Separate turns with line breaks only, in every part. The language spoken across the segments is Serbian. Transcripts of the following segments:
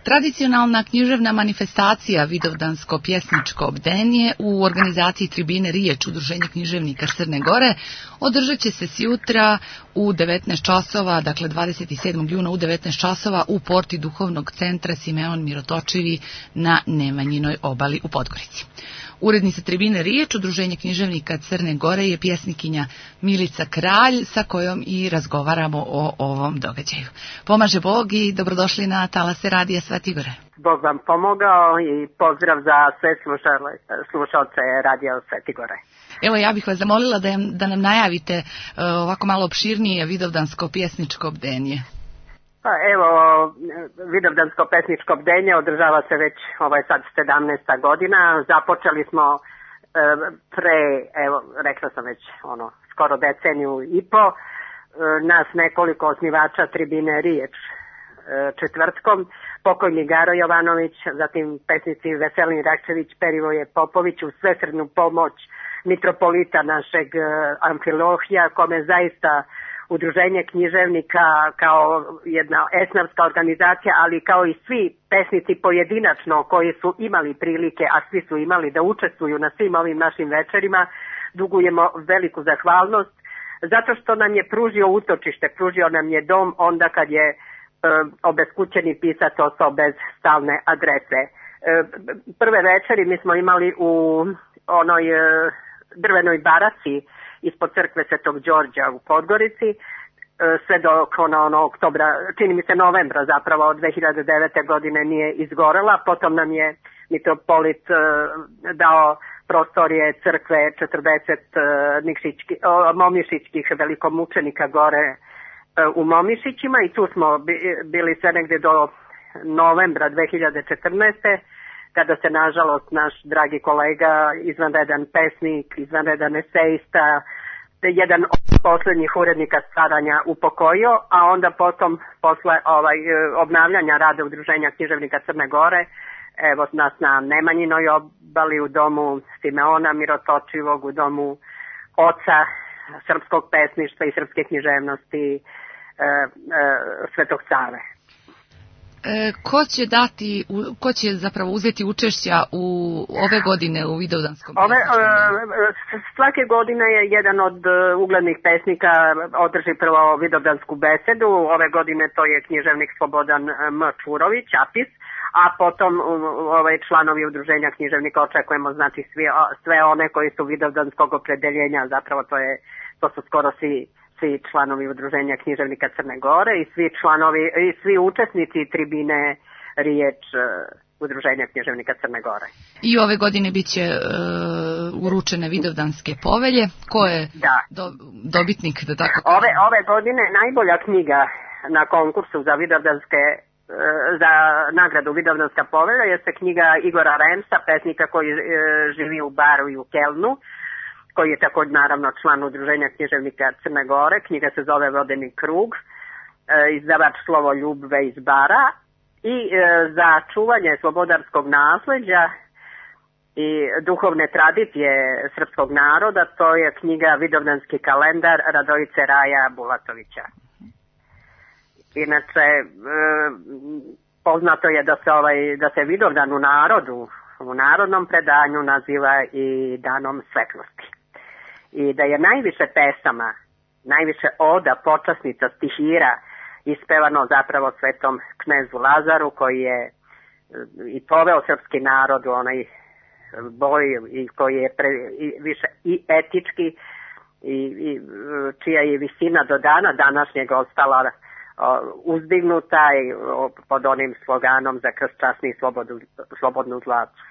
Tradicionalna književna manifestacija Vidovdansko pjesničko bdenje u organizaciji Tribine Riječ Udruženja književnika Crne Gore održat će se sjutra u 19 časova, dakle 27. juna u 19 časova u porti Duhovnog centra Simeon Mirotočivi na Nemanjinoj obali u Podgorici. Urednica Tribine Riječ Udruženja književnika Crne Gore je pjesnikinja Milica Kralj, sa kojom i razgovaramo o ovom događaju. Pomaže Bog i dobrodošli na talase Radija Sveti Gore.
Bog vam pomogao i pozdrav za sve slušalce Radija Sveti Gore.
Evo, ja bih vas zamolila da nam najavite ovako malo opširnije Vidovdansko pjesničko bdenje.
Pa evo, Vidovdansko pjesničko bdenje održava se već, ovo je sad 17. godina. Započeli smo rekla sam već, skoro deceniju i po. Nas nekoliko osnivača Tribine Riječ četvrtkom, pokojni Garo Jovanović, zatim pesnici Veselin Rakčević, Perivoje Popović, u svesrdnu pomoć mitropolita našeg Amfilohija, kome zaista Udruženje književnika kao jedna esnavska organizacija, ali kao i svi pesnici pojedinačno koji su imali prilike, a svi su imali da učestvuju na svim ovim našim večerima, dugujemo veliku zahvalnost zato što nam je pružio utočište, pružio nam je dom onda kad je obeskućeni pisac ostao bez stalne adrese. Prve večeri mi smo imali u onoj drvenoj baraci ispod crkve Svetog Đorđa u Podgorici, sve dok oktobra, čini mi se novembra zapravo od 2009. godine nije izgorela. Potom nam je mitropolit dao prostorije crkve 40 momišićkih velikomučenika gore u Momišićima i tu smo bili sve negdje do novembra 2014. kada se nažalost naš dragi kolega, izvanredan pesnik, izvanredan esejista, jedan od posljednjih urednika Staranja upokojio, a onda potom posle obnavljanja rada Udruženja književnika Crne Gore, evo nas na Nemanjinoj obali u domu Simeona Mirotočivog, u domu oca srpskog pesništva i srpske književnosti Svetog Save.
Ko će zapravo uzeti učešća u ove godine u Vidovdanskom?
Svake godine je jedan od uglednih pesnika održi prvo vidovdansku besedu. Ove godine to je književnik Slobodan M. Čurović, Apis, a potom članovi Udruženja književnika očekujemo, znači sve one koji su vidovdanskog opredeljenja, zapravo to su skoro svi članovi Udruženja književnika Crne Gore i svi učesnici Tribine Riječ Udruženja književnika Crne Gore.
I ove godine bit će uručene Vidovdanske povelje. Ko je dobitnik? Da tako
ove godine najbolja knjiga na konkursu za nagradu Vidovdanska povelja jeste knjiga Igora Remsa, pesnika koji živi u Baru i u Kelnu, koji je također naravno član Udruženja književnika Crne Gore. Knjiga se zove Vodeni krug, izdavač Slovoljubve iz Bara. I za čuvanje slobodarskog nasleđa i duhovne tradicije srpskog naroda, to je knjiga Vidovdanski kalendar Radojice Raja Bulatovića. Inače, poznato je da se Vidovdan u narodnom predanju naziva i danom svetlosti. I da je najviše pesama, najviše oda, počasnica, stihira ispevano zapravo svetom knezu Lazaru, koji je i poveo srpski narod u onaj boj i koji je više i etički i čija je visina do dana današnjeg ostala uzdignuta i pod onim sloganom za krst časni i slobodnu zlacu.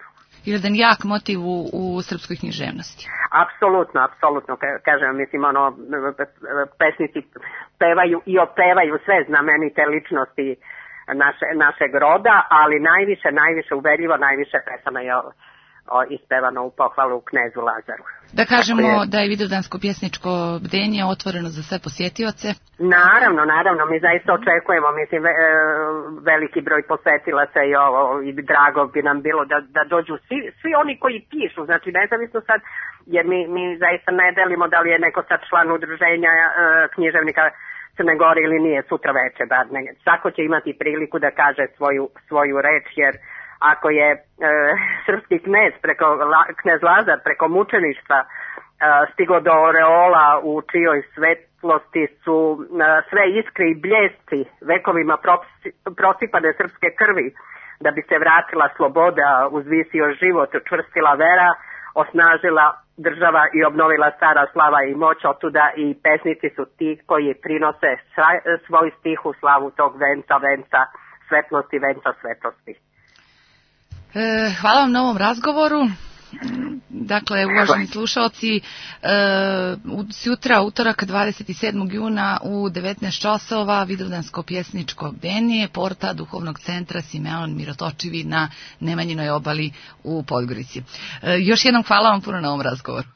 Jedan jak motiv u srpskoj književnosti.
Apsolutno, kažem, mislim, pesnici pevaju i opevaju sve znamenite ličnosti našeg roda, ali najviše uverljivo, najviše pesama je ispevano u pohvalu knezu Lazaru.
Da kažemo da je Vidovdansko pjesničko bdenje otvoreno za sve posjetioce?
Naravno, mi zaista očekujemo, mislim, veliki broj posetilaca i drago bi nam bilo da dođu svi oni koji pišu, znači nezavisno sad, jer mi zaista ne delimo da li je neko sad član Udruženja književnika Crne Gore ili nije sutra večer, bar svako će imati priliku da kaže svoju reč, jer ako je srpski knez Lazar preko mučeništva stigo do oreola u čijoj svetlosti su sve iskre i bljesci vekovima prosipane srpske krvi, da bi se vratila sloboda, uzvisio život, učvrstila vera, osnažila država i obnovila stara slava i moć, otuda i pesnici su ti koji prinose svoj stih u slavu tog venca svetlosti, venca svetlosti.
Hvala vam na ovom razgovoru. Dakle, uvaženi slušalci, sutra, utorak 27. juna u 19 časova Vidovdansko pjesničko bdenje, porta Duhovnog centra Simeon Mirotočivi na Nemanjinoj obali u Podgorici. Još jednom hvala vam puno na ovom razgovoru.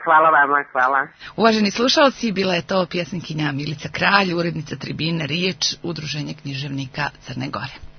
Hvala vama, hvala.
Uvaženi slušalci, bila je to pjesnikinja Milica Kralj, urednica Tribine Riječ, Udruženje književnika Crne Gore.